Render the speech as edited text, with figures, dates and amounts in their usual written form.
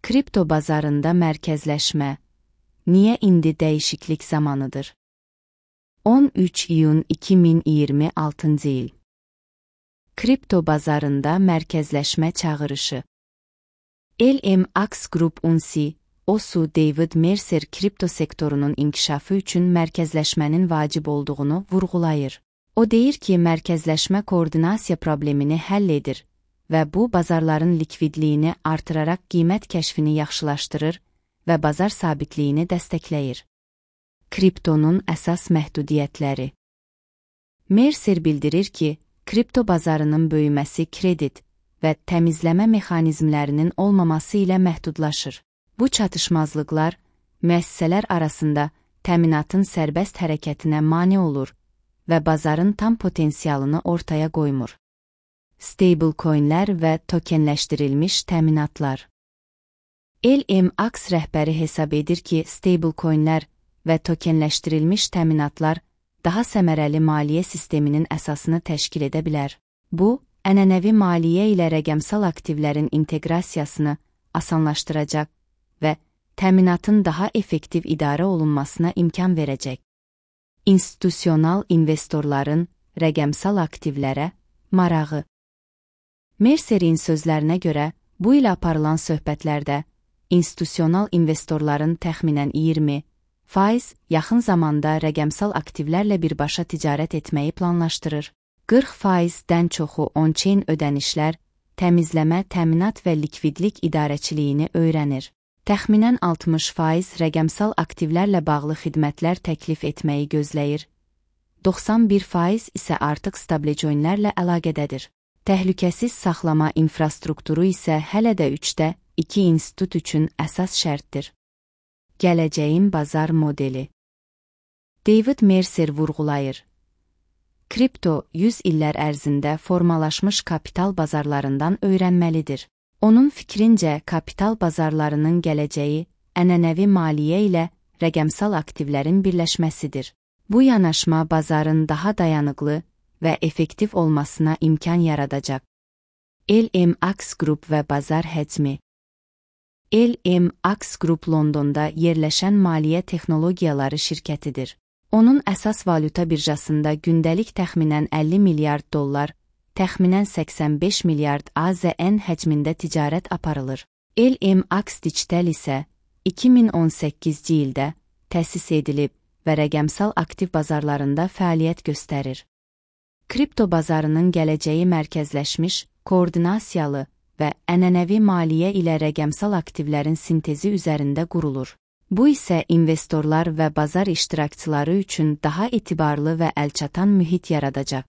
Kripto bazarında mərkəzləşmə. Niyə indi dəyişiklik zamanıdır? 13 iyun 2026 il. Kripto bazarında mərkəzləşmə çağırışı. LMAX Group Unsi, OSU David Mercer kripto sektorunun inkişafı üçün mərkəzləşmənin vacib olduğunu vurğulayır. O deyir ki, mərkəzləşmə koordinasiya problemini həll edir və bu bazarların likvidliyini artıraraq qiymət kəşfini yaxşılaşdırır və bazar sabitliyini dəstəkləyir. Kriptonun əsas məhdudiyyətləri. Mercer bildirir ki, kripto bazarının böyüməsi kredit və təmizləmə mexanizmlərinin olmaması ilə məhdudlaşır. Bu çatışmazlıqlar müəssisələr arasında təminatın sərbəst hərəkətinə mane olur və bazarın tam potensialını ortaya qoymur. Stablecoinlər və tokenləşdirilmiş təminatlar. LMAX rəhbəri hesab edir ki, stablecoinlər və tokenləşdirilmiş təminatlar daha səmərəli maliyyə sisteminin əsasını təşkil edə bilər. Bu, ənənəvi maliyyə ilə rəqəmsal aktivlərin inteqrasiyasını asanlaşdıracaq və təminatın daha effektiv idarə olunmasına imkan verəcək. İnstitusional investorların rəqəmsal aktivlərə marağı. Mercerin sözlərinə görə, bu il aparılan söhbətlərdə institusional investorların təxminən 20% yaxın zamanda rəqəmsal aktivlərlə birbaşa ticarət etməyi planlaşdırır. 40%-dən çoxu on-chain ödənişlər, təmizləmə, təminat və likvidlik idarəçiliyini öyrənir. Təxminən 60% rəqəmsal aktivlərlə bağlı xidmətlər təklif etməyi gözləyir. 91% isə artıq stablecoinlərlə əlaqədədir. Təhlükəsiz saxlama infrastrukturu isə hələ də 3/2 institut üçün əsas şərtdir. Gələcəyin bazar modeli. David Mercer vurğulayır. Kripto 100 illər ərzində formalaşmış kapital bazarlarından öyrənməlidir. Onun fikrincə, kapital bazarlarının gələcəyi ənənəvi maliyyə ilə rəqəmsal aktivlərin birləşməsidir. Bu yanaşma bazarın daha dayanıqlı və effektiv olmasına imkan yaradacaq. LMAX Group və bazar həcmi. LMAX Group Londonda yerləşən maliyyə texnologiyaları şirkətidir. Onun əsas valyuta birjasında gündəlik təxminən 50 milyard dollar, təxminən 85 milyard AZN həcmində ticarət aparılır. LMAX Digital isə 2018-ci ildə təsis edilib və rəqəmsal aktiv bazarlarında fəaliyyət göstərir. Kripto bazarının gələcəyi mərkəzləşmiş, koordinasiyalı və ənənəvi maliyyə ilə rəqəmsal aktivlərin sintezi üzərində qurulur. Bu isə investorlar və bazar iştirakçıları üçün daha etibarlı və əlçatan mühit yaradacaq.